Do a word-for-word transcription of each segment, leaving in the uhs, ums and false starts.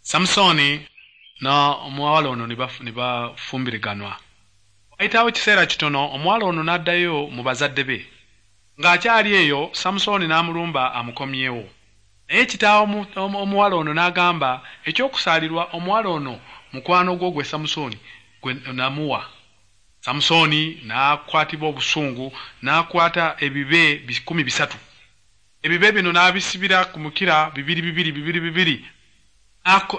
Samusooni n'omuwala ono ne bafumbiriganwa. Wayitawo ekiseera kitono, omuwala ono n'addayo mu bazadde be. Ng'akyali eyo, Samusooni n'amulumba amukomyewo. Naye kitaawe omuwala ono n'agamba, ekyokusaalirwa omuwala ono mukwano gwo gwe Samusooni gwe namuwa. Samusooni n'akwatibwa obusungu, n'akwata ebibe bikumi bisatu. Ebibe bino n'abisibira ku mukira bibiri bibiri bibiri bibiri,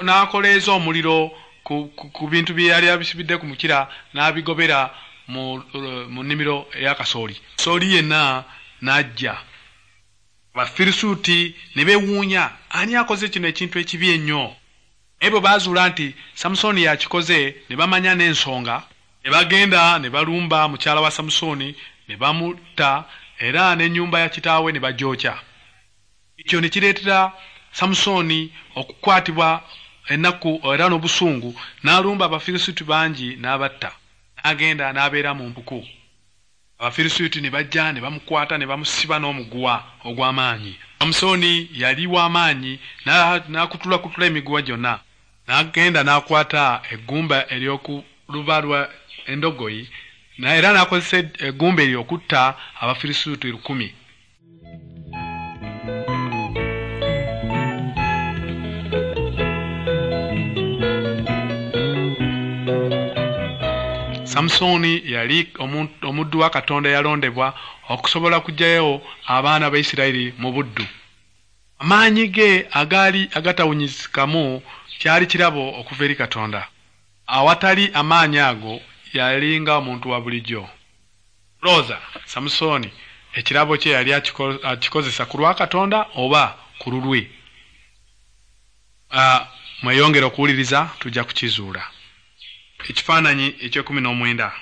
n'akoleeza omuliro ku, ku, ku bintu bye yali abisibidde ku mukira, n'abigobera mu, mu nnimiro eya kasooli. Kasooli yenna n'ajja. Abafirisuuti ne beewuunya, ani akoze kino ekintu ekibi ennyo? Naye bwe baazuula nti Samusooni yakikoze, ne bamanya n'ensonga, ne bagenda ne balumba mukyala wa Samusooni ne bamutta, era n'ennyumba ya kitaawe ne bagyokya. Ekyo ne kireetera Samusooni okukwatibwa ennaku era n'obusungu, n'alumba Abafirisuuti bangi n'abatta. N'agenda n'abeera mu mpuku. Abafirisuuti ne bajja ne bamukwata ne bamusiba n'omuguwa ogw'amaanyi. Samusooni yali w'amaanyi, n'akutulakutula emiguwa gyonna. N'agenda n'akwata eggumba ery'oku luba lwa endogoyi, era n'akozesa eggumba eryo okutta Abafirisuuti lukumi. Samusooni yali omuddu wa Katonda eyalondebwa okusobola kuggyayo abaana ba Isirayiri mu buddu. Amaanyi ge agaali agatawunyizikamu kyali kirabo okuva eri Katonda. Awatali amaanyi ago yali nga omuntu wa bulijjo. Lowooza, Samusooni ekirabo kye yali akikozesa ku lwa Katonda oba ku lulwe? Mweyongere okuwuliriza, tujja kukizuula. Ekifaananyi eky'ekkumi n'omwenda.